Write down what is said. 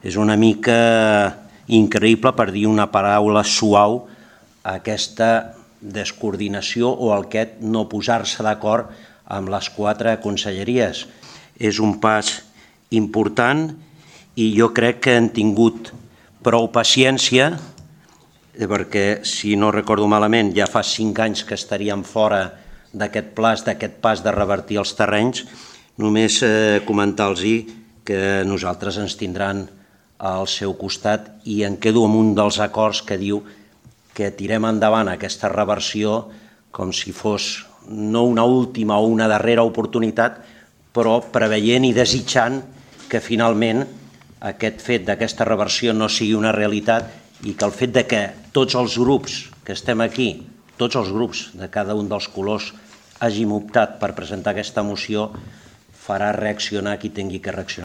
És una mica increïble, per dir una paraula suau, aquesta descoordinació o aquest no posar-se d'acord amb les 4 conselleries. És un pas important i jo crec que han tingut prou paciència, perquè, si no recordo malament, ja fa 5 anys que estaríem fora d'aquest pas de revertir els terrenys. Només comentar-los que nosaltres ens tindran al seu costat i em quedo amb un dels acords que diu que tirem endavant aquesta reversió com si fos no una última o una darrera oportunitat, però preveient i desitjant que finalment aquest fet d'aquesta reversió no sigui una realitat i que el fet de que tots els grups que estem aquí, tots els grups de cada un dels colors, hàgim optat per presentar aquesta moció farà reaccionar qui tingui que reaccionar.